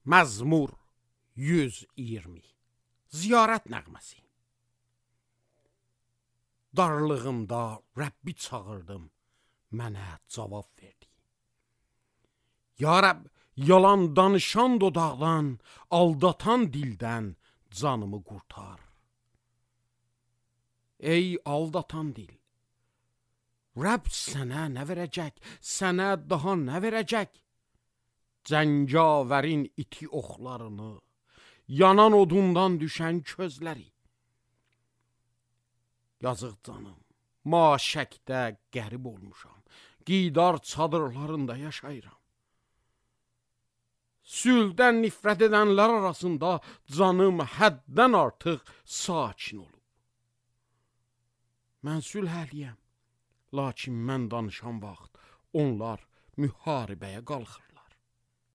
Məzmur 120 Ziyarət nəğməsi. Darlığımda Rəbbi çağırdım, mənə cavab verdi. Ya Rəbb, yalan danışan dodaqdan, aldatan dildən canımı qurtar. Ey aldatan dil, Rəbb sənə nə verəcək, sənə daha nə verəcək? Cəngavərin iti oxlarını, yanan odundan düşən közləri. Yazıq canım, maşəkdə qərib olmuşam, qidar çadırlarında yaşayıram. Sülhdən nifrət edənlər arasında canım həddən artıq sakin olub. Mən sülh əhliyəm, lakin mən danışan vaxt onlar müharibəyə qalxır.